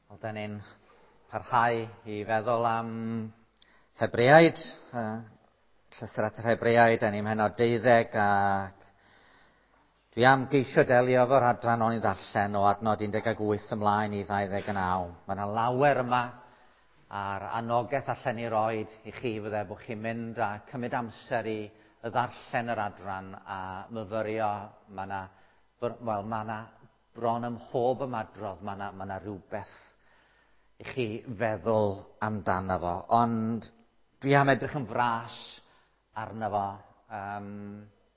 Wel, da ni'n parhau i feddwl am Hebreaid, llythyr at yr Hebreaid, da ni'n mhenod 12 ac dwi am geisio delio efo'r adran o'n i ddarllen o adnod 18 ymlaen i 29. Mae yna lawer yma a'r anogaeth allan ni roed i chi fydde bod chi'n mynd a cymryd amser i ddarllen yr adran a myfyrio. Mae yna, wel, mae yna bron ym mhob ymadrodd, mae yna, mae yna rhywbeth i chi feddwl amdano fo. Ond dwi am edrych yn fras arno fo.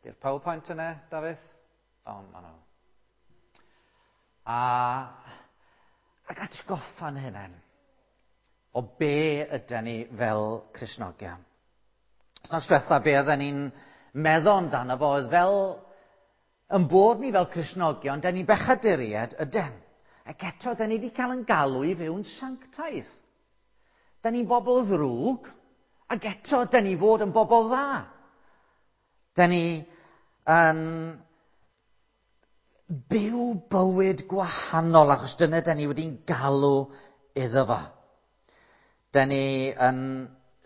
Di'r PowerPoint yna, Dafydd? O, ma nhw. A, ac atgoffa'n hunain o be ydy ni fel Cristnogion. Wythnos diwetha, be oedden ni'n meddwl amdano fo oedd fel yn bod ni fel Cristnogion, da ni'n bechaduriaid yden. Ac eto, da ni wedi cael yn galw i fyw'n sanctaidd. Da ni'n bobl ddrwg, ac eto, da ni fod yn bobl dda. Da ni yn byw bywyd gwahanol, achos dyna da ni wedi'n galw iddo fo. Da ni yn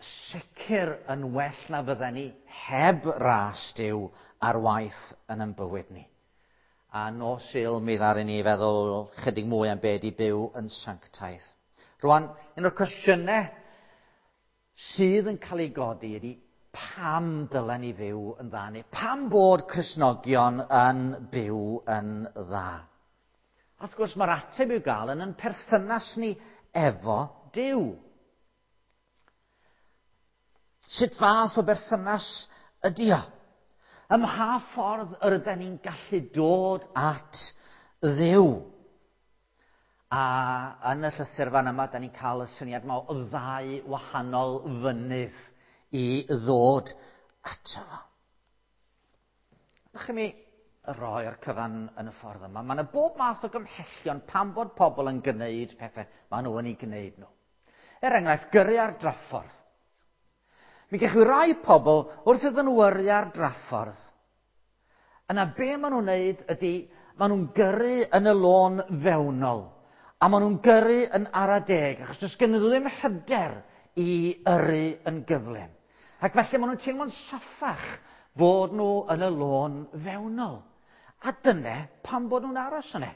sicr yn well na fydden ni heb ras Duw ar waith yn ein bywyd ni. A nos Sul mi ddaru ni feddwl chydig mwy am be di byw yn sanctaidd. Rwan, un o'r cwestiynau sydd yn cael ei godi ydy pam dylen ni fyw yn dda neu pam bod Cristnogion yn byw yn dda? A wrth gwrs mae'r ateb i'w gael yn ein perthynas ni efo Duw. Sut fath o berthynas ydy o? Ym mha ffordd yr ydyn ni'n gallu dod at Dduw? A yn y llythyr fan yma, da ni'n cael y syniad yma o ddau wahanol fynydd i ddod ato fo. Ydych chi mi roi'r cyfan yn y ffordd yma. Mae yna bob math o gymhellion pam bod pobl yn gwneud pethau maen nhw yn ei gwneud nhw. Er enghraifft, gyrru ar draffordd. Mi gewch chi rai pobl wrth iddyn nhw yrru ar draffordd. Yna be maen nhw'n wneud ydy, maen nhw'n gyrru yn y lôn fewnol. A maen nhw'n gyrru yn ara deg, achos does gen nhw ddim hyder i yrru yn gyflym. Ac felly maen nhw'n teimlo'n saffach bod nhw yn y lôn fewnol. A dyna pam bod nhw'n aros yna.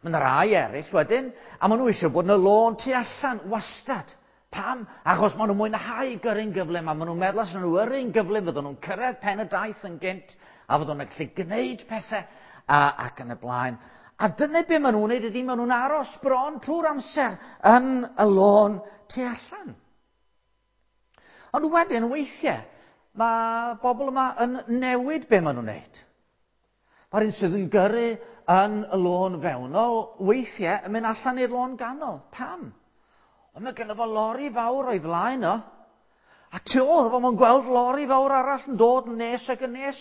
Mae yna rai eraill wedyn, a maen nhw eisiau bod yn y lôn tu allan, wastad. Pam? Achos maen nhw'n mwynhau gyrru'n gyflym, a maen nhw'n meddwl os nhw'n yrru'n gyflym, fyddwn nhw'n cyrraedd pen y daith yn gynt, a fyddwn nhw'n gallu gwneud pethau, a, ac yn y blaen. A dyna be maen nhw'n wneud ydy, maen nhw'n aros bron trwy'r amser yn y lôn tu allan. Ond wedyn, weithiau, mae bobl yma yn newid be maen nhw'n wneud. Mae'r un sydd yn gyrru yn y lôn fewnol weithiau yn mynd allan i'r lôn ganol. Pam? Ond mae gynno fo lori fawr o'i flaen o. A tu ôl fo, mae'n gweld lori fawr arall yn dod yn nes ac yn nes.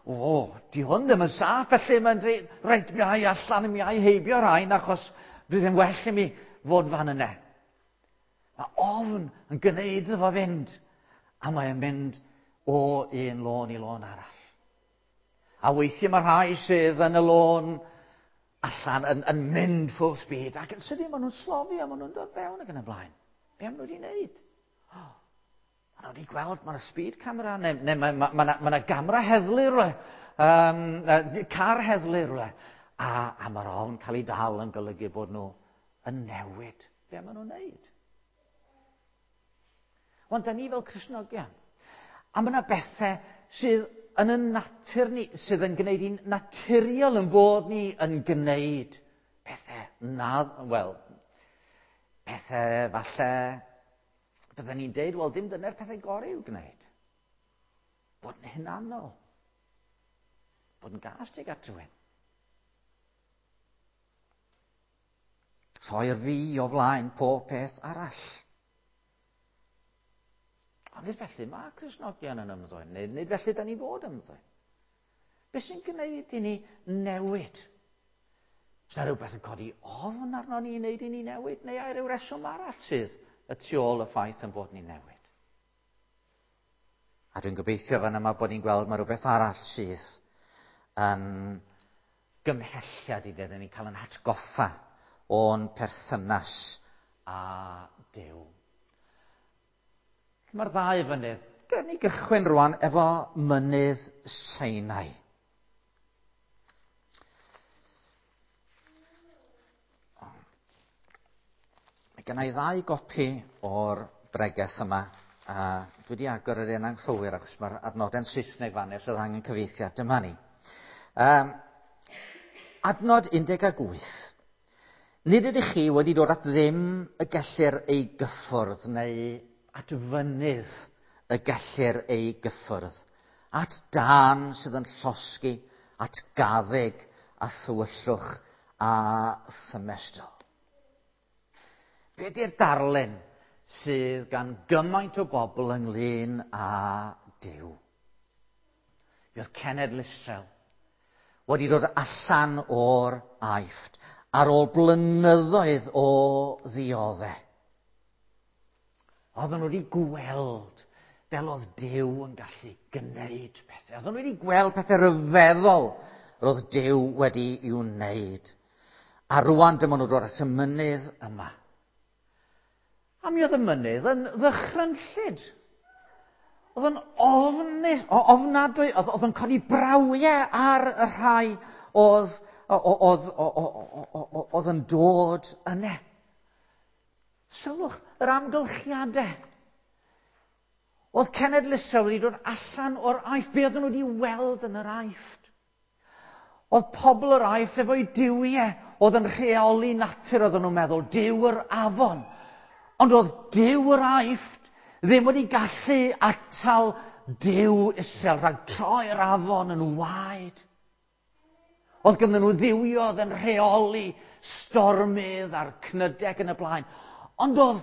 O, di hwn ddim yn saff, felly mae'n dweud, reit, mi ai allan, mi ai heibio rhain, achos bydd yn well i mi fod fan yna. Mae ofn yn gwneud iddo fo fynd, a mae'n mynd o un lôn i lôn arall. A weithiau mae rhai sydd yn y lôn allan yn, yn mynd full speed ac yn sydyn maen nhw'n slofi a maen nhw'n dod fewn ac yn y blaen. Be am nhw wedi wneud? Oh, maen nhw wedi gweld, mae yna speed camera, neu, neu mae ma, ma, ma, ma gamera heddlu rhywle, um, car heddlu rhywle. A, a mae'r ofn cael ei dal yn golygu bod nhw yn newid be maen nhw'n wneud. Ond da ni fel Cristnogion. A mae yna bethau sydd yn y natur ni, sydd yn gwneud i'n naturiol yn bod ni yn gwneud pethau na, wel, pethau falle, bydden ni'n deud, wel, dim dyna'r pethau gorau i'w gwneud. Bod yn hunanol. Bod yn gas tuag at rhywun. Rhoi'r fi o flaen pob peth arall. Ond nid felly mae Cristnogion yn ymddwyn, nid, nid felly da ni fod ymddwyn. Be sy'n gwneud i ni newid? Os yna rhywbeth yn codi ofn arno ni i wneud i ni newid, neu ai rhyw reswm arall sydd y tu ôl y ffaith yn bod ni'n newid? A dwi'n gobeithio fan yma bod ni'n gweld mae rhywbeth arall sydd yn gymhelliad i ddyn ni'n cael yn hatgoffa o'n perthynas â Duw. Mae'r ddau fynydd. Gawn ni gychwyn rwan efo mynydd Sinai. Mae gen i ddau gopi o'r bregeth yma, a dwi wedi agor yr un anghywir achos mae'r adnodau'n Saesneg fan os oedd angen cyfieithiad. Dyma ni. Adnod 18. Nid ydych chi wedi dod at ddim y gellir ei gyffwrdd neu at fynydd y gellir ei gyffwrdd, at dân sydd yn llosgi, at gaddug a thywyllwch a thymestl. Be di'r darlun sydd gan gymaint o bobl ynglyn â Duw? Mi oedd cenedl Israel wedi dod allan o'r Aifft ar ôl blynyddoedd o ddioddau. Oedden nhw wedi gweld fel oedd Duw yn gallu gwneud pethau. Oedden nhw wedi gweld pethau rhyfeddol roedd Duw wedi i'w wneud. A rwan dyma nhw dod at y mynydd yma. A mi oedd y mynydd yn ddychrynllyd. Oedd yn ofnus, ofnadwy, oedd yn codi brawiau ar y rhai oedd yn dod yna. Sylwch yr amgylchiadau. Oedd cenedl Israel wedi dod allan o'r Aifft. Be oedden nhw wedi weld yn yr Aifft? Oedd pobl yr Aifft efo'i duwiau oedd yn rheoli natur, oedden nhw'n meddwl, Duw yr afon. Ond oedd Duw yr Aifft ddim wedi gallu atal Duw Israel rhag troi'r afon yn waed. Oedd ganddyn nhw dduwiodd yn rheoli stormydd a'r cnydeg yn y blaen. Ond oedd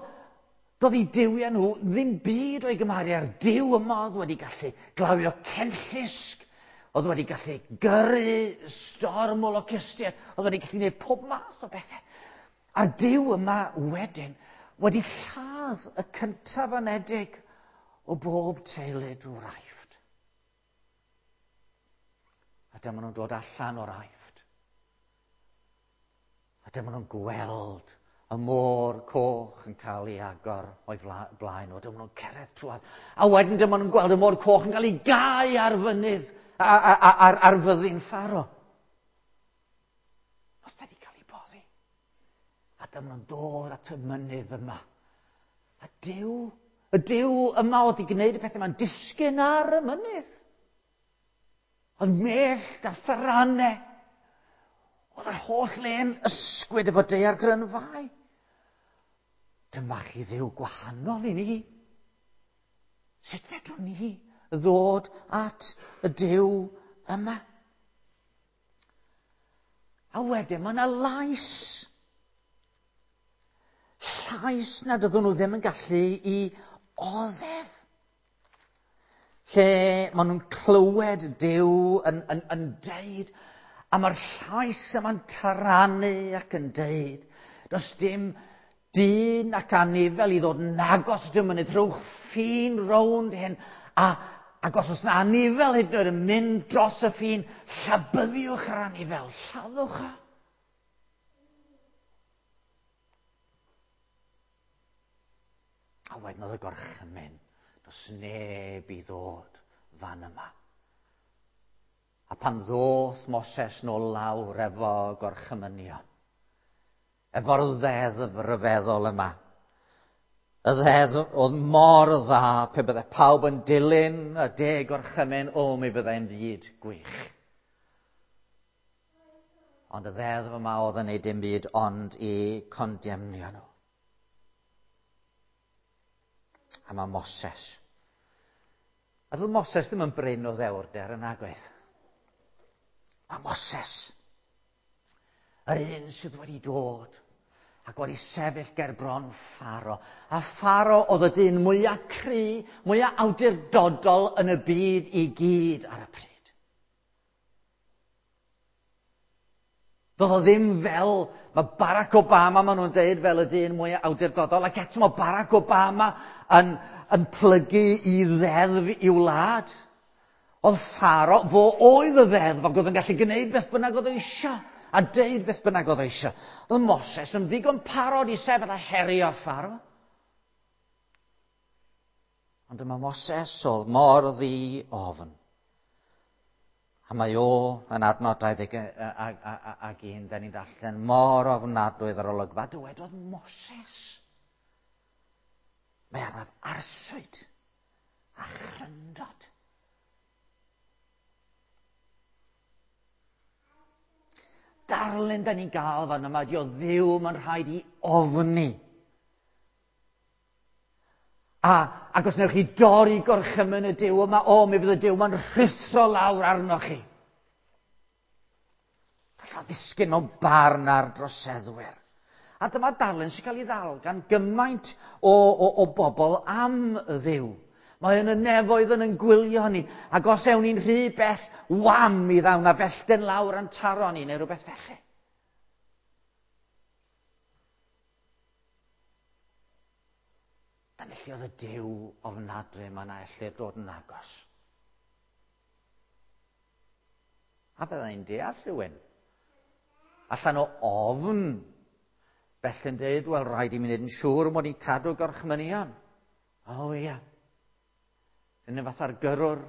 doedd eu duwiau nhw ddim byd o'i gymharu â'r Duw yma oedd wedi gallu glawio cenllysg, oedd wedi gallu gyrru storm o locustiaid, oedd wedi gallu gwneud pob math o bethau. A'r Duw yma wedyn wedi lladd y cyntaf anedig o bob teulu drwy'r Aifft. A dyma nhw'n dod allan o'r Aifft. A dyma nhw'n gweld y môr coch yn cael ei agor o'i blaen nhw. Dyma nhw'n cerdded trwad. A wedyn dyma nhw'n gweld y môr coch yn cael ei gau ar fynydd, ar fyddin Pharo. Oedd wedi cael ei boddi. A dyma nhw'n dod at y mynydd yma. A Duw, y Duw yma oedd wedi gwneud y pethau yma'n disgyn ar y mynydd. Oedd mellt a tharanau. Oedd yr holl le'n ysgwyd efo daeargrynfâu. Dyma chi Dduw gwahanol i ni. Sut fedrwn ni ddod at y Duw yma? A wedyn mae yna lais. Llais nad oedden nhw ddim yn gallu i oddef. Lle maen nhw'n clywed Duw yn deud, a mae'r llais yma'n taranu ac yn deud, does dim dyn ac anifel i ddod yn agos at y mynydd, rhowch ffin rownd hyn, ac os oes yna anifel hyd yn oed yn mynd dros y ffin, llabyddiwch yr anifel, lladdwch o. A wedyn oedd y gorchymyn, does neb i ddod fan yma. A pan ddoth Moses nôl lawr efo gorchymynion, efo'r ddeddf ryfeddol yma, y ddeddf oedd mor dda pe bydde pawb yn dilyn y 10 gorchymyn, o, mi byddai'n fyd gwych. Ond y ddeddf yma oedd yn neud dim byd ond i condemnio nhw. A mae Moses. A doedd Moses ddim yn brin o ddewrder yn agwedd. Mae Moses, yr un sydd wedi dod ac wedi sefyll ger bron Pharo. A Pharo oedd y dyn mwyaf cry, mwyaf awdurdodol yn y byd i gyd ar y pryd. Doedd o ddim fel, mae Barack Obama, maen nhw'n deud, fel y dyn mwyaf awdurdodol, ac eto mae Barack Obama yn plygu i ddeddf i'w wlad. Oedd Pharo, fo oedd y ddeddf, ac oedd yn gallu gwneud beth bynnag oedd eisiau. a deud beth bynnag oedd eisiau. Oedd Moses yn ddigon parod i sefyll a herio Pharaoh. Ond yma Moses oedd mor ddi ofn. A mae o yn adnod 21, da ni'n darllen, mor ofnadwy yr olygfa, dywedodd Moses. Mae arnaf arswyd a chryndod. Darlun da ni'n gael fan yma, di o Dduw mae'n rhaid i ofni. A, ac os wnewch chi dorri gorchymyn y Duw yma, o, mi fydd y Duw yma'n rhuthro lawr arnoch chi. Gall o ddisgyn mewn barn ar droseddwyr. A dyma darlun sy'n cael ei ddal gan gymaint o, o, o bobl am Dduw. Mae yn y nefoedd yn yn gwylio ni, ac os ewn ni'n rhy bell, wam, mi ddaw na fellten lawr a'n taro ni, neu rhywbeth felly. Dan felly oedd y Duw ofnadwy yma na ellir dod yn agos. A bydda i'n deall rhywun. Allan o ofn, felly'n dweud, wel, rhaid i mi wneud yn siŵr mod i'n cadw gorchmynion. O, ia. Yn y fatha'r gyrrwr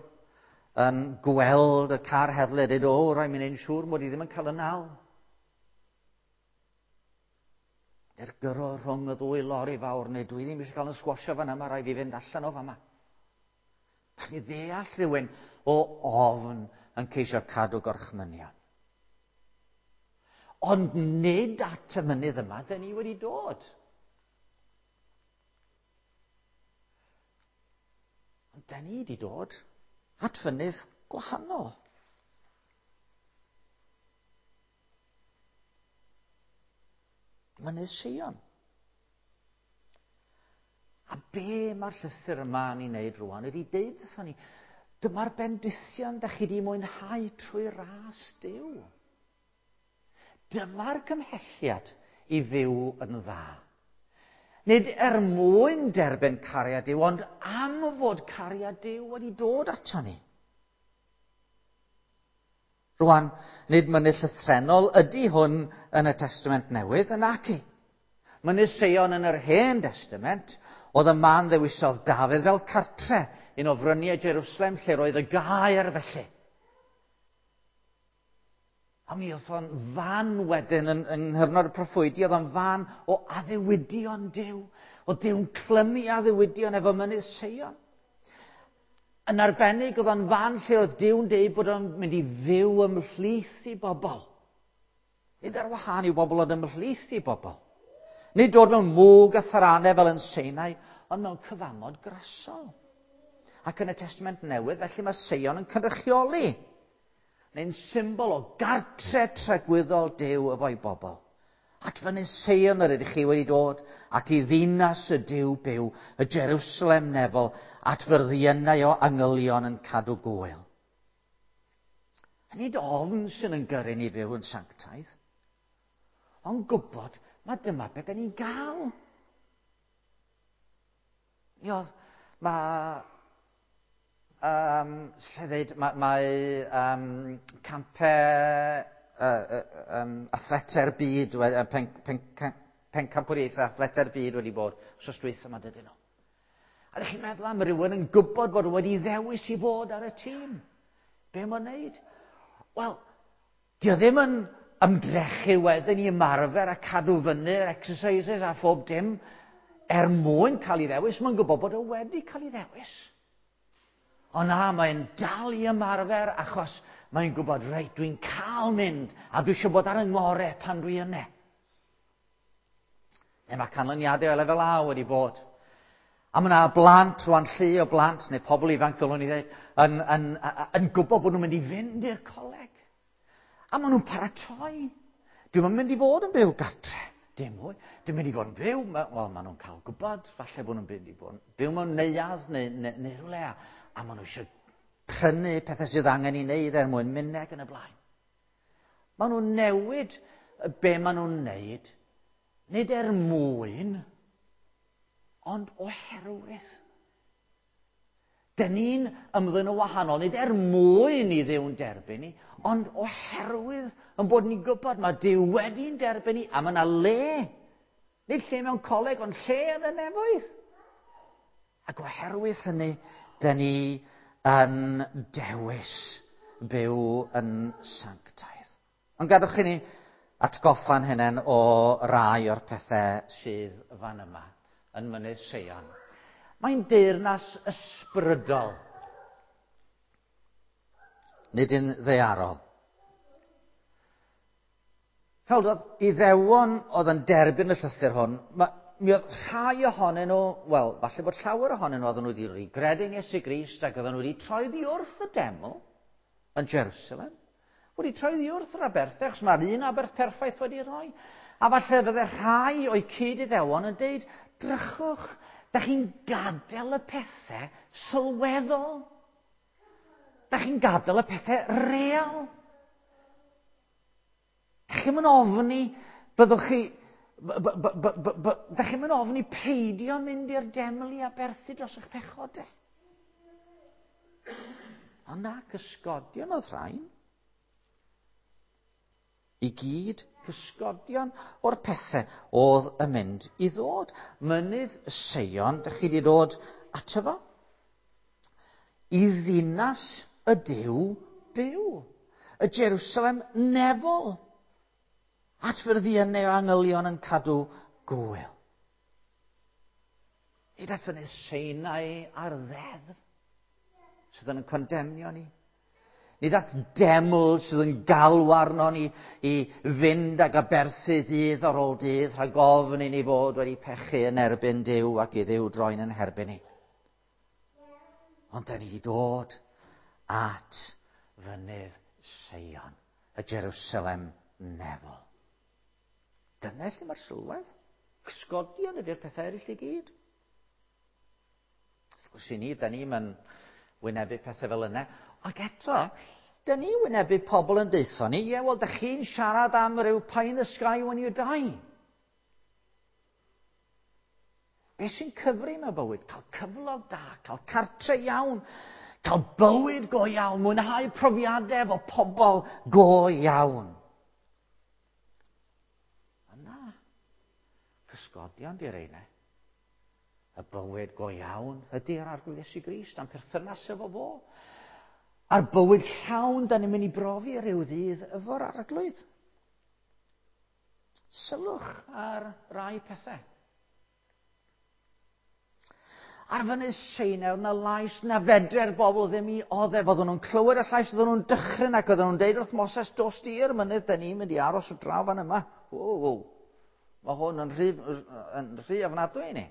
yn gweld y car heddlu a dweud, o, rhaid mi wneud yn siŵr mod i ddim yn cael y nal. Neu'r gyrro rhwng y ddwy lori fawr, neu dwi ddim eisiau cael yn sgwasio fan yma, rhaid fi fynd allan o fama. Gallwn ni ddeall rhywun o ofn yn ceisio cadw gorchmynion. Ond nid at y mynydd yma dyn ni wedi dod. Ond dyn ni wedi dod at fynydd gwahanol. Mynydd Seion. A be mae'r llythyr yma yn ei wneud rwan ydy deud wrthon ni, dyma'r bendithion da chi wedi mwynhau trwy ras Duw. Dyma'r cymhelliad i fyw yn dda. Nid er mwyn derbyn cariad Duw, ond am fod cariad Duw wedi dod ato ni. Rwan, nid mynydd llythrennol ydy hwn yn y Testament Newydd, yn naci. Mynydd Seion yn yr Hen Testament oedd y man ddewisodd Dafydd fel cartre, un o fryniau Jerusalem lle roedd y gaer felly. A mi oedd o'n fan wedyn yn, yng nghyfnod y proffwydi, oedd o'n fan o addewidion Duw. Oedd Duw'n clymu addewidion efo mynydd Seion. Yn arbennig, oedd o'n fan lle oedd Duw'n deud bod o'n mynd i fyw ymhlith i bobl. Nid ar wahân i'w bobl, ond ymhlith i bobl. Nid dod mewn mwg a tharanau fel yn Seinai, ond mewn cyfamod grasol. Ac yn y Testament Newydd, felly mae Seion yn cynrychioli, neu'n symbol o gartre tragwyddol Duw efo'i bobl. At fyny Seion yr ydych chi wedi dod, ac i ddinas y Duw byw, y Jerusalem nefol, at fyrddiynau o angylion yn cadw gwyl. A nid ofn sy'n yn gyrru ni fyw yn sanctaidd, ond gwybod mae dyma beth ni'n gael. Mi oedd, mae, um, lle ddeud, mae, mae um, campau uh, um, athletau'r byd, pen, pen, pencampwriaethau athletau'r byd wedi bod wrth dwytha yma dydyn nhw. A ydych chi'n meddwl am rhywun yn gwybod bod wedi ddewis i fod ar y tîm? Be mae'n wneud? Wel, di o ddim yn ymdrechu wedyn i ymarfer a cadw fyny'r exercises a phob dim er mwyn cael ei ddewis. Mae'n gwybod bod o wedi cael ei ddewis. Ond na, mae'n dal i ymarfer achos mae'n gwybod, reit, dwi'n cael mynd a dwi eisiau bod ar y ngorau pan dwi yna. Neu mae canlyniadau o lefel A wedi bod. A mae yna blant, rwan llu o blant, neu pobl ifanc ddylwn i ddweud, yn, yn, yn, yn gwybod bod nhw'n mynd i fynd i'r coleg. A maen nhw'n paratoi. Dwi'm yn mynd i fod yn byw gartre. Dim mwy. Dwi'n mynd i fod yn byw, wel, maen nhw'n cael gwybod, falle bod nhw'n mynd i fod yn byw mewn neuadd neu, neu, neu rhywle, a, a maen nhw eisiau prynu pethau sydd angen i wneud er mwyn mynd ac yn y blaen. Maen nhw'n newid be maen nhw'n wneud, nid er mwyn, ond oherwydd. Dyn ni'n ymddwyn yn wahanol, nid er mwyn i Dduw'n derbyn ni, ond oherwydd yn bod ni'n gwybod mae Duw wedi'n derbyn ni, a mae yna le. Nid lle mewn coleg, ond lle yn y nefoedd. Ac oherwydd hynny, dyn ni yn dewis byw yn sanctaidd. Ond gadwch i ni atgoffa'n hunain o rai o'r pethau sydd fan yma yn Mynydd Seion. Mae'n deyrnas ysbrydol, nid yn ddaearol. Fel oedd Iddewon oedd yn derbyn y llythyr hwn, mi oedd rhai ohonyn nhw, wel, falle bod llawer ohonyn nhw oedden nhw wedi gredu'n Iesu Grist ac oedden nhw wedi troi ddi wrth y deml yn Jerusalem. Wedi troi ddi wrth yr aberthau, achos mae'r un aberth perffaith wedi rhoi. A falle bydde rhai o'i cyd-Iddewon yn deud, drychwch, da chi'n gadael y pethau sylweddol. Da chi'n gadael y pethau real. Da chi'n mynd ofni, byddwch chi... Da chi'n mynd ofni peidio mynd i'r deml i aberthu dros eich pechodau. Ond na, cysgodion oedd rhain. I gyd cysgodion o'r pethau oedd yn mynd i ddod. Mynydd Seion, dych chi wedi dod ato fo? I ddinas y Duw byw. Y Jerusalem nefol. At fyrddiynau o angylion yn cadw gwyl. Nid at fynydd Sinai a'r ddeddf sydd yn condemnio ni. Nid at deml sydd yn galw arno ni i fynd ag aberthu dydd ar ôl dydd rhag ofn i ni fod wedi pechu yn erbyn Duw ac i Dduw droi'n yn herbyn ni. Ond da ni wedi dod at fynydd Seion, y Jerusalem nefol. Dyna lle mae'r sylwedd. Cysgodion ydy'r pethau eraill i gyd. Wrth gwrs i ni, da ni'n wynebu pethau fel yna. Ac eto, da ni wynebu pobl yn deutho ni, ie, wel, da chi'n siarad am ryw pie in the sky when you die. Be sy'n cyfri mewn bywyd? Cael cyflog da, cael cartre iawn, cael bywyd go iawn, mwynhau profiadau efo pobl go iawn. Yna, cysgodion di'r reina. Y bywyd go iawn ydy'r Arglwydd Iesu Grist a'n perthynas efo fo. A'r bywyd llawn da ni'n mynd i brofi rhyw ddydd efo'r Arglwydd. Sylwch ar rai pethau. Ar fynydd Sinai, oedd 'na lais na fedre'r bobl ddim i oddef. Oedden nhw'n clywed y llais, oedden nhw'n dychryn ac oedden nhw'n deud wrth Moses, dos di i'r mynydd, da ni'n mynd i aros o draw fan yma. Wow, wow. Mae hwn yn rhy ofnadwy i ni.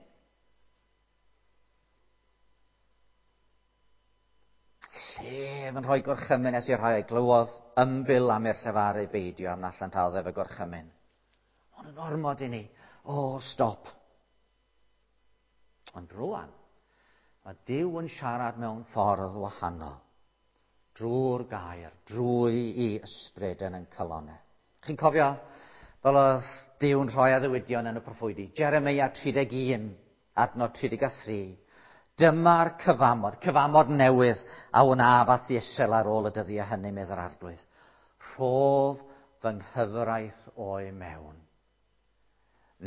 Llef yn rhoi gorchymyn nes i'r rhai a glywodd ymbil am i'r llefaru beidio am na allant addef y gorchymyn. Ond yn ormod i ni. O, stop. Ond rwan, mae Duw yn siarad mewn ffordd wahanol. Drwy'r gair, drwy i ysbryd yn ein calonnau. Chi'n cofio fel oedd Duw yn rhoi addewidion yn y proffwydi? Jeremia 31, adnod 33. Dyma'r cyfamod, cyfamod newydd a wnaf â Israel ar ôl y dyddiau hynny, medd yr Arglwydd. Rhof fy nghyfraith o'i mewn.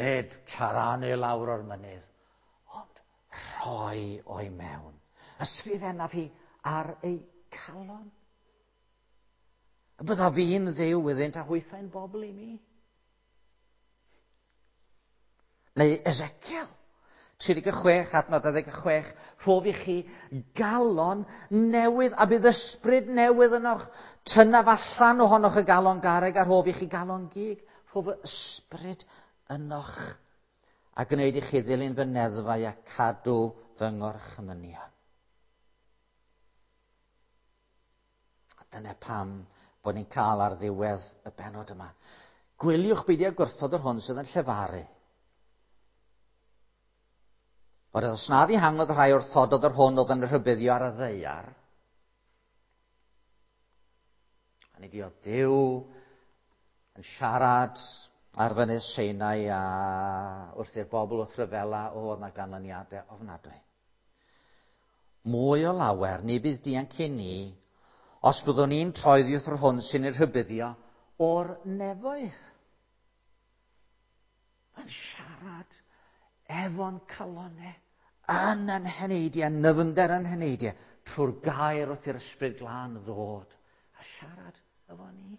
Nid taranu lawr o'r mynydd, ond rhoi o'i mewn. Ysgrifennaf hi ar ei calon. Y byddaf fi'n Dduw iddynt a hwythau'n bobl i mi. Neu Ezekiel 36, adnod 26, rhof i chi galon newydd a bydd ysbryd newydd ynoch. Tynnaf allan ohonoch y galon garreg a rhof i chi galon gig. Rhof y ysbryd ynoch a gwneud i chi ddilyn fy neddfau a cadw fy ngorchmynion. A dyna pam bod ni'n cael ar ddiwedd y bennod yma. Gwyliwch beidio gwrthod yr hwn sydd yn llefaru. Ond os na ddihangodd rhai wrthododd yr hwn oedd yn rhybuddio ar y ddaear, a nid oedd Duw yn siarad ar fynydd Sinai a wrth i'r bobl wrth ryfela, oedd na ganlyniadau ofnadwy. Mwy o lawer, ni bydd dianc i ni, os byddwn ni'n troi oddi wrth yr hwn sy'n ei rhybuddio o'r nefoedd. Mae'n siarad efo'n calonau, yn yn heneidiau, nyfnder yn heneidiau, trwy'r gair wrth i'r Ysbryd Glân ddod a siarad efo ni.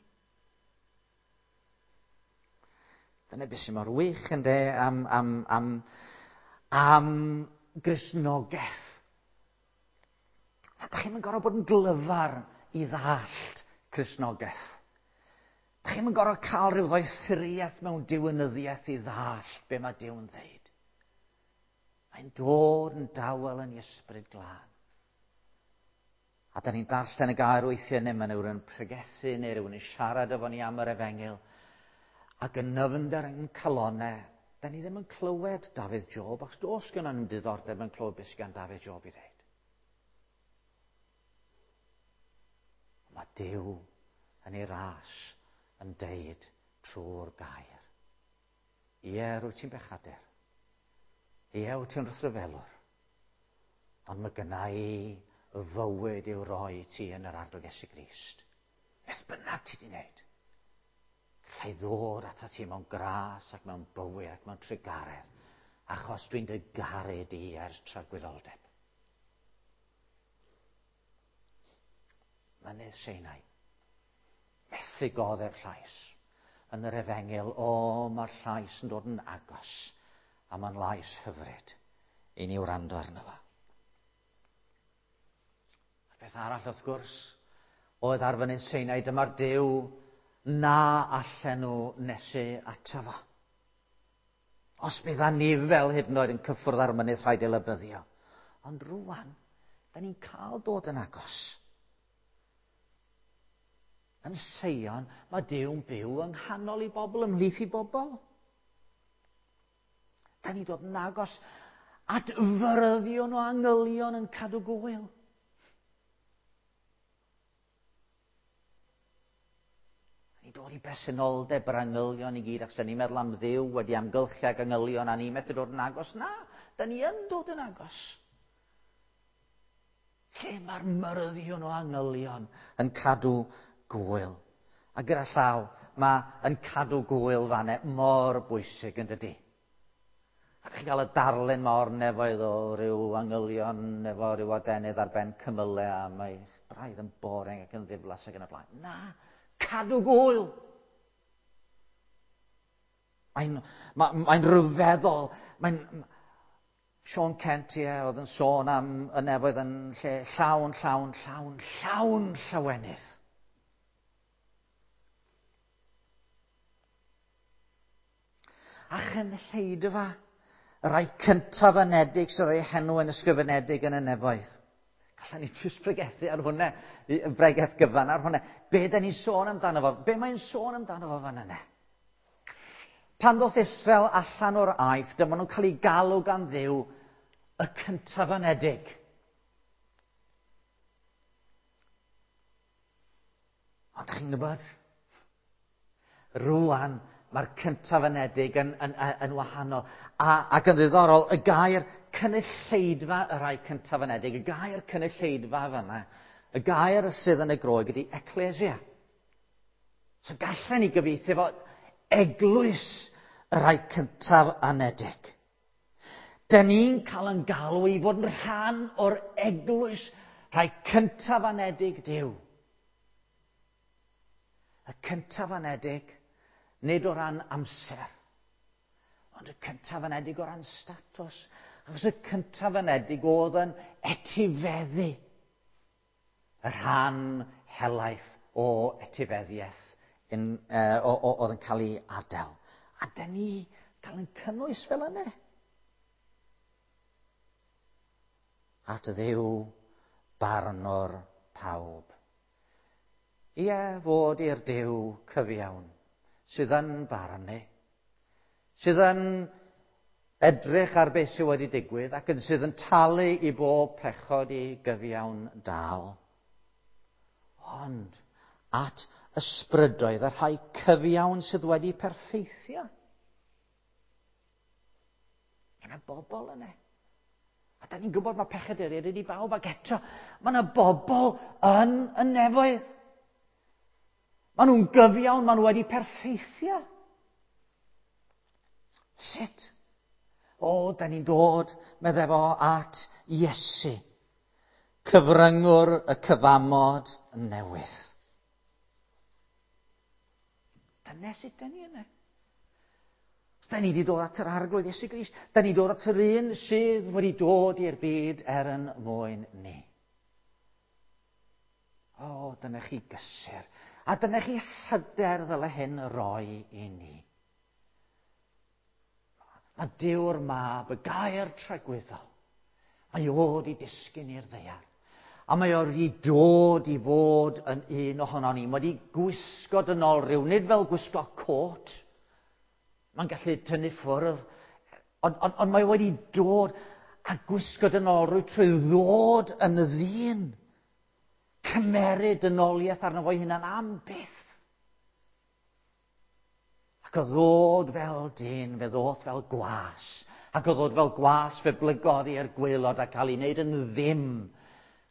Dyna beth sy'n mor wych ynde am Gristnogaeth. Da chi'm yn gorfod bod yn glyfar i ddallt Cristnogaeth. Da chi'm yn gorfod cael rhyw ddoethuriaeth mewn diwinyddiaeth i ddallt be mae Duw'n ddeud. Mae'n dod yn dawel yn ei Ysbryd Glân. A da ni'n darllen y gair weithiau neu mae rhywun yn pregethu neu rhywun yn siarad efo ni am yr efengyl. Ac yn nyfnder yn calonau, da ni ddim yn clywed Dafydd Job, achos does gynnon ni'm diddordeb yn clywed beth sydd gan Dafydd Job i ddeud. Mae Duw yn ei ras yn deud trwy'r gair. Ie, rwyt ti'n bechadur. Ie, wyt ti'n wrthryfelwr. Ond mae gynna i fywyd i'w roi ti yn yr Arglwydd Iesu Grist. Beth bynnag ti di wneud. Gallai ddod ata ti mewn gras ac mewn bywyd ac mewn trugaredd, achos dwi'n dy garu di ers tragwyddoldeb. Mynydd Sinai. Methu goddef llais. Yn yr efengyl, o, mae'r llais yn dod yn agos, a mae'n lais hyfryd i ni wrando arno fo. A'r peth arall, wrth gwrs, oedd ar fynydd Sinai, dyma'r Duw na allen nhw nesu ato fo. Os bydd anifel hyd yn oed yn cyffwrdd ar mynydd, rhaid ei lybyddio. Ond rwan, da ni'n cael dod yn agos. Yn Seion, mae Duw'n byw yng nghanol i bobl, ymhlith i bobl. Da ni'n dod yn agos at fyrddio'n o angylion yn cadw gwyl. Ni'n dod i bresenoldeb yr angylion i gyd, achos da ni'n meddwl am Dduw wedi amgylchu ag angylion a ni'n methu dod yn agos. Na, da ni yn dod yn agos. Lle mae'r myrddio'n o angylion yn cadw gwyl. A gyda llaw, mae yn cadw gwyl fanne mor bwysig yn dydi. A chi'n cael y darlun mor nefoedd o ryw angylion efo ryw adenydd ar ben cymylau a mae braidd yn boring ac yn ddiflas ac yn y blaen. Na, cadw gwyl. Mae'n rhyfeddol. Sean Kent, ie, oedd yn sôn am y nefoedd yn lle llawn, llawn, llawn, llawn llawenydd. A chynulleidfa, y rhai cyntaf anedig sydd ei henw yn ysgrifenedig yn y nefoedd. Gallen ni jyst pregethu ar hwnna, y bregeth gyfan ar hwnna. Be da ni'n sôn amdano fo? Be mae'n sôn amdano fo fan yna? Pan ddoth Israel allan o'r Aifft, dyma nhw'n cael eu galw gan Dduw y cyntaf anedig. Ond dach chi'n gwybod? Rwan, mae'r cyntaf anedig yn wahanol. Ac yn ddiddorol, y gair cynulleidfa y rhai cyntaf anedig, y gair cynulleidfa fanna, y gair sydd yn y Groeg ydy ecclesia. So gallen ni gyfieithu fo eglwys y rhai cyntaf anedig. Da ni'n cael yn galw i fod yn rhan o'r eglwys rhai cyntaf anedig Duw. Y cyntaf anedig, nid o ran amser, ond y cyntaf anedig o ran statws. Achos y cyntaf anedig oedd yn etifeddu y rhan helaeth o etifeddiaeth oedd yn cael ei adael. A da ni cael yn cynnwys fel yna. At Dduw barnwr pawb. Ie, fod i'r Duw cyfiawn sydd yn barnu, sydd yn edrych ar beth sydd wedi digwydd ac yn sydd yn talu i bob pechod i gyfiawn dal. Ond at ysbrydoedd y rhai cyfiawn sydd wedi perffeithio. Mae yna bobl yna. A da ni'n gwybod mae pechaduriaid ydi bawb, ac eto mae yna bobl yn y nefoedd. Maen nhw'n gyfiawn, maen nhw wedi perffeithio. Sut? O, da ni'n dod, medde fo, at Iesu, cyfryngwr y cyfamod newydd. Dyna sut da ni yna. Da ni wedi dod at yr Arglwydd Iesu Grist. Da ni dod at yr un sydd wedi dod i'r byd er yn mwyn ni. O, dyna chi gysur. A dyna chi hyder ddyle hyn roi i ni. Mae Duw'r Mab, y gair tragwyddol, mae o wedi disgyn i'r ddaear. A mae o wedi dod i fod yn un ohonon ni. Mae wedi gwisgo dynol rhyw, nid fel gwisgo cot. Mae'n gallu tynnu ffwrdd, ond on, on mae wedi dod a gwisgo dynol rhyw trwy ddod yn ddyn. Cymeryd dynoliaeth arno fo'i hunan am byth. Ac o ddod fel dyn, fe ddoth fel gwas. Ac o ddod fel gwas, fe blygodd i'r gwaelod a cael ei wneud yn ddim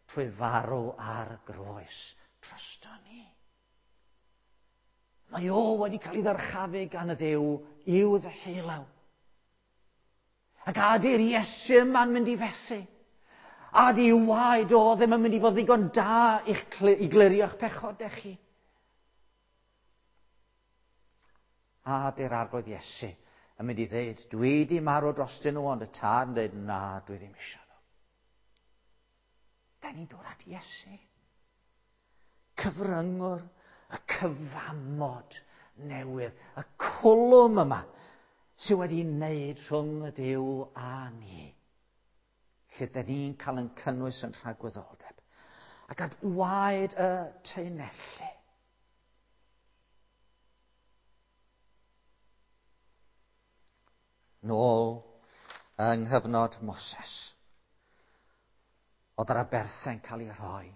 trwy farw ar groes drosto ni. Mae o wedi cael ei ddyrchafu gan y Dduw i'w ddeheulaw. Ac a ydy'r Iesu yma'n mynd i fethu? A ydy waed o ddim yn mynd i fod ddigon da i'ch, i glirio'ch pechodau chi? A dy'r Arglwydd Iesu yn mynd i ddeud, dwi di marw drostyn nhw, ond y tad yn dweud, na, dwi ddim eisiau nhw. Da ni'n dod at Iesu. Cyfryngwr, y cyfamod newydd, y cwlwm yma sydd wedi wneud rhwng y Duw a ni. Lle da ni'n cael yn cynnwys yn rhagwyddoldeb. Ac at waed y taenellu. Nôl yng nghyfnod Moses. Oedd yr aberthau'n cael ei rhoi.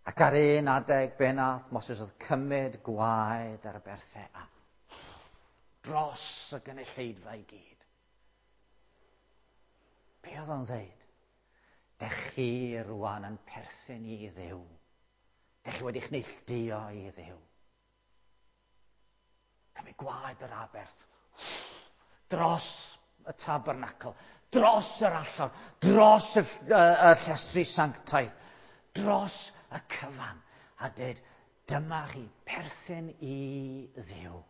Ac ar un adeg, be nath Moses oedd cymryd gwaed ar aberthau a dros y gynulleidfa i gyd. Be oedd o'n dweud? Dech chi rwan yn perthyn i Dduw. Dech chi wedi'ch neilltuo i Dduw. Cymryd gwaed yr aberth dros y tabernacl, dros yr allor, dros y, y, y llestri sanctaidd, dros y cyfan, a dweud, dyma chi perthyn i Dduw.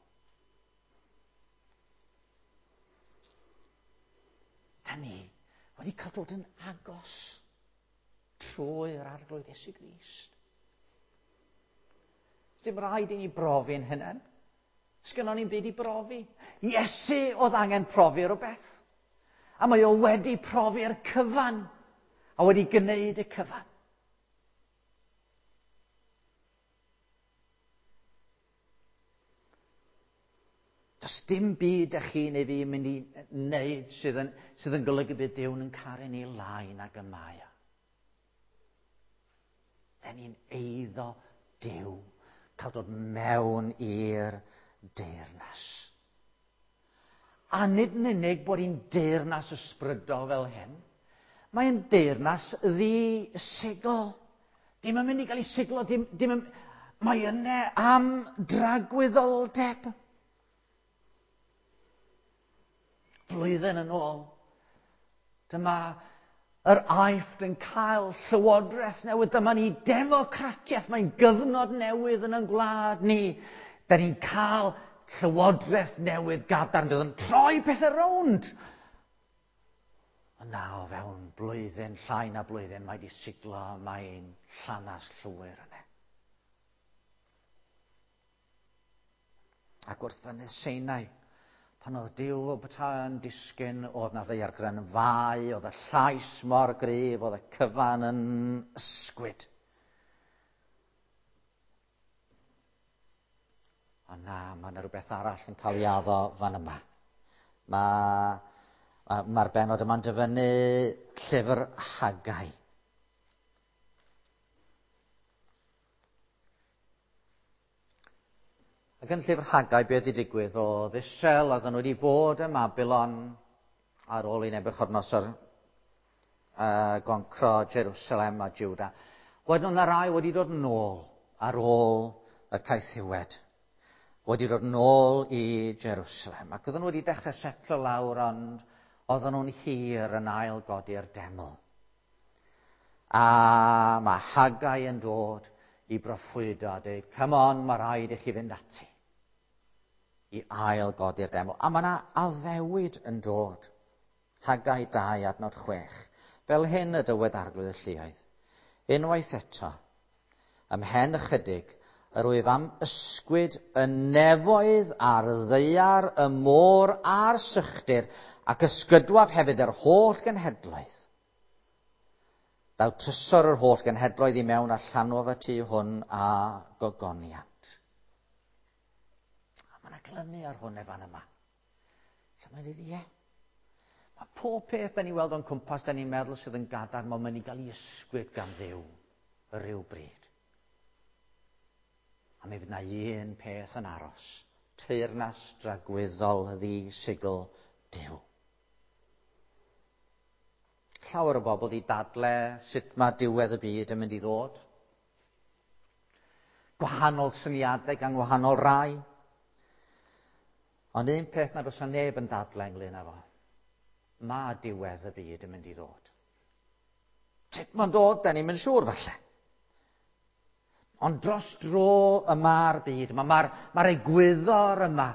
Da ni wedi cael dod yn agos trwy'r Arglwydd Iesu Grist. Dim rhaid i ni brofi'n hynny. Sgynnon ni'n byd i brofi. Iesu oedd angen profi rhywbeth. A mae o wedi profi'r cyfan. A wedi gwneud y cyfan. Does dim byd â chi neu fi yn mynd i wneud sydd yn, sydd yn golygu bydd Duw yn caru ni lai nag y mae o. Da ni'n eiddo Duw, cael dod mewn i'r deyrnas. A nid yn unig bod hi'n deyrnas ysbrydol fel hyn, mae'n deyrnas ddi-sigl. Dim yn mynd i gael ei siglo, dim, dim yn, mae yna am dragwyddoldeb. Flwyddyn yn ôl, dyma yr Aifft yn cael llywodraeth newydd. Dyma ni democratiaeth, mae'n gyfnod newydd yn ein gwlad ni. Da ni'n cael llywodraeth newydd gadarn, fydd yn troi pethau rownd. Ond na, o fewn blwyddyn, llai na blwyddyn, mae di siglo, mae'n llanas llwyr yna. Ac wrth fynydd Sinai, pan oedd Duw o bethau yn disgyn, oedd na ddaeargrynfâu, oedd y llais mor gryf, oedd y cyfan yn ysgwyd. Ond na, mae yna rhywbeth arall yn cael ei addo fan yma. Mae'r ma, ma benod yma'n dyfynnu llyfr Haggai. Ac yn llyfr Haggai, beth wedi digwydd oedd Israel, oedden nhw wedi bod ym Babylon ar ôl i Nebuchadnezzar goncro Jerusalem a Juda. Wedyn oedd yna rai wedi dod nôl ar ôl y caethiwed. Wedi dod nôl i Jerusalem. Ac oedden nhw wedi dechrau setlo lawr, ond oedden nhw'n hir yn ail godi'r deml. A mae Haggai yn dod i broffwydo a dweud, come on, mae rhaid i chi fynd ati i ail godi'r deml. A mae yna addewid yn dod. Haggai 2 adnod 6. Fel hyn y dywed Arglwydd y Lluoedd. Unwaith eto, ymhen ychydig, yr wyf am ysgwyd y nefoedd a'r ddaear, y môr a'r sychdir, ac ysgydwaf hefyd yr holl genhedloedd. Daw trysor yr holl genhedloedd i mewn a llanwaf y tŷ hwn a gogoniant. A mae yna glynu ar hwn efo yma. So mae'n dweud, ie. Mae pob peth da ni weld o'n cwmpas, da ni'n meddwl sydd yn gadarn, mae'n mynd i gael ei ysgwyd gan Dduw y rhyw bryd. A mi fydd na un peth yn aros. Teyrnas dragwyddol ddi-sigl Duw. Llawer o bobl di dadle sut mae diwedd y byd yn mynd i ddod. Gwahanol syniadau gan wahanol rai. Ond un peth nad oes neb yn dadle ynglyn â fo. Mae diwedd y byd yn mynd i ddod. Sut mae'n dod, da ni'n mynd siŵr falle. Ond dros dro y mae'r byd yma, mae'r mae egwyddor yma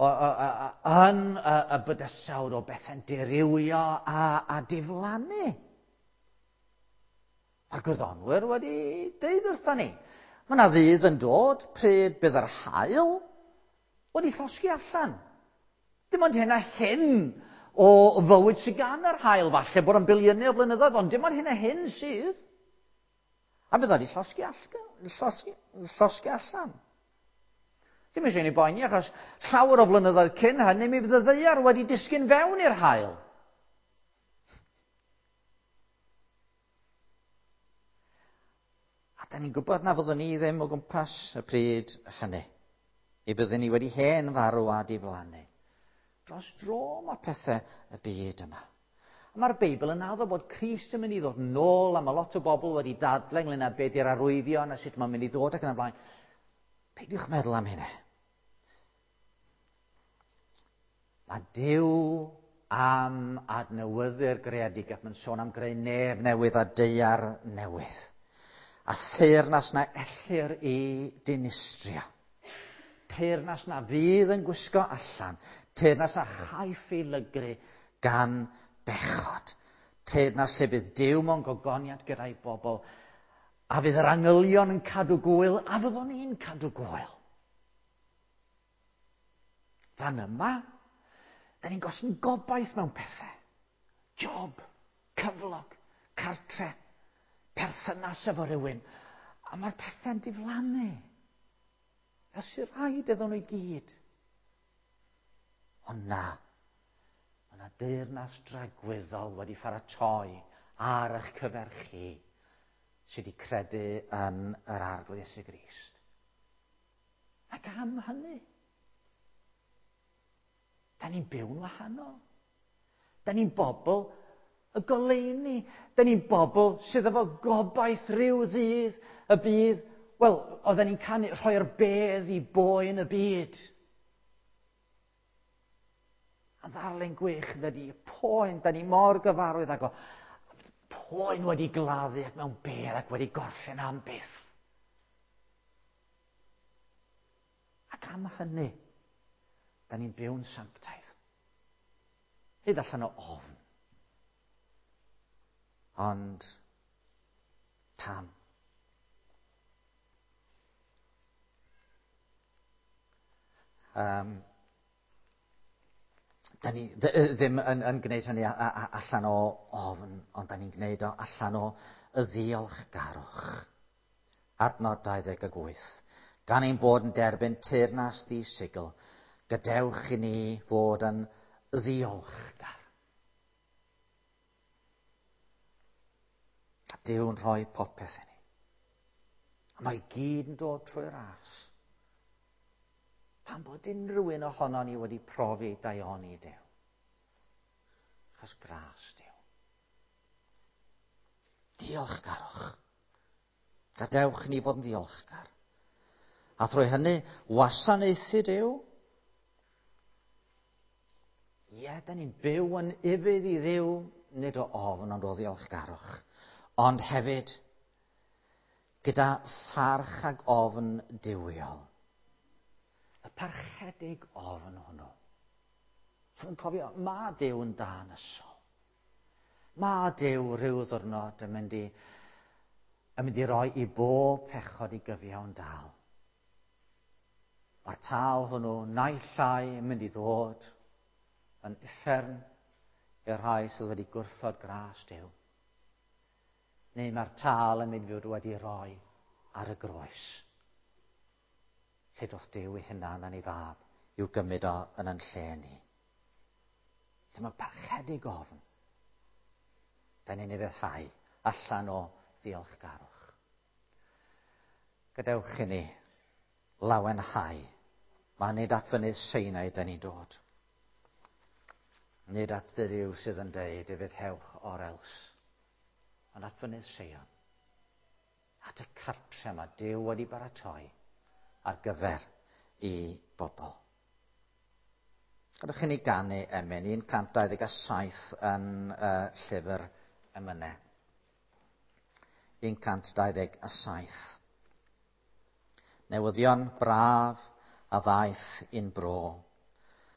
yn y bydysawd o bethau'n dirywio a diflannu. Mae'r gwyddonwyr wedi deud wrthon ni. Mae yna ddydd yn dod pryd bydd yr haul wedi llosgi allan. Dim ond hyn a hyn o fywyd sydd gan yr haul, falle bod yn biliynau o flynyddoedd, ond dim ond hyn a hyn sydd. A bydd wedi llosgi allan. Ddim eisiau ni boeni, achos llawer o flynyddoedd cyn hynny, mi fydd y ddaear wedi disgyn fewn i'r haul. A da ni'n gwybod na fyddwn ni ddim o gwmpas y pryd hynny. I byddwn ni wedi hen farw a diflannu. Dros dro mae pethau y byd yma. A mae'r Beibl yn addo bod Crist yn mynd i ddod nôl, a mae lot o bobl wedi dadle ynglyn â be di'r arwyddion a sut mae'n mynd i ddod ac yn y blaen. Peidiwch meddwl am hynny. Mae Duw am adnewyddu'r greadigaeth. Mae'n sôn am greu nef newydd a daear newydd. A theyrnas na ellir i dinistrio. Teyrnas na fydd yn gwisgo allan. Teyrnas na chaiff ei lygru gan bechod. Teyrnas lle bydd Duw mewn gogoniant gyda'i bobl. A fydd yr angylion yn cadw gwyl, a fyddwn ni'n cadw gwyl. Fan yma, da ni'n gosod gobaith mewn pethau. Job, cyflog, cartre, perthynas efo rhywun. A mae'r pethau'n diflannu. Fel sy'n rhaid iddyn nhw i gyd. Ond na, mae yna deyrnas dragwyddol wedi pharatoi ar eich cyfer chi sydd wedi credu yn yr Arglwydd Iesu Grist. Ac am hynny, da ni'n byw'n wahanol. Da ni'n bobl y goleuni. Da ni'n bobl sydd efo gobaith rhyw ddydd y bydd. Wel, oedden ni'n canu rhoi'r bedd i boen y byd. A ddarllen gwych ydy poen, da ni mor gyfarwydd ag o. Poen wedi gladdu ac mewn bedd ac wedi gorffen am byth. Ac am hynny, da ni'n byw'n sanctaidd. Hyd allan o ofn. Ond pam? Da ni ddim yn gwneud hynny allan o ofn, ond da ni'n gwneud o allan o y ddiolchgarwch. Adnod 28. Gan ein bod yn derbyn teyrnas ddi-sigl, gadewch i ni fod yn ddiolchgar. A Duw'n rhoi popeth i ni. A mae gyd yn dod trwy'r ras. Pam bod unrhyw un ohono ni wedi profi daioni Duw? Achos gras Duw. Diolchgarwch. Gadewch ni fod yn ddiolchgar. A thrwy hynny, wasanaethu Duw. Ie, da ni'n byw yn ufudd i Dduw, nid o ofn ond o ddiolchgarwch. Ond hefyd, gyda pharch ag ofn duwiol. Y parchedig ofn hwnnw. Sydd yn cofio, mae Duw yn dân ysol. Mae Duw rhyw ddwrnod yn mynd i roi i bob pechod i gyfiawn dal. Mae'r tâl hwnnw naill ai yn mynd i ddod yn uffern i'r rhai sydd wedi gwrthod gras Duw. Neu mae'r tâl yn mynd i fod wedi roi ar y groes. Lle doth Duw ei hunan yn ei fab i'w gymryd o yn yn lle ni. Lle mae parchedig ofn. Da ni'n ufuddhau allan o ddiolchgarwch. Gadewch i ni lawenhau. Mae nid at fynydd Sinai da ni'n dod. Nid at Dduw sydd yn deud ufuddhewch or else. Ond at fynydd Seion. At y cartre mae Duw wedi baratoi ar gyfer i bobl. Gadewch i ni ganu emyn 127 yn llyfr emynau. 127. Newyddion braf a ddaeth i'n bro.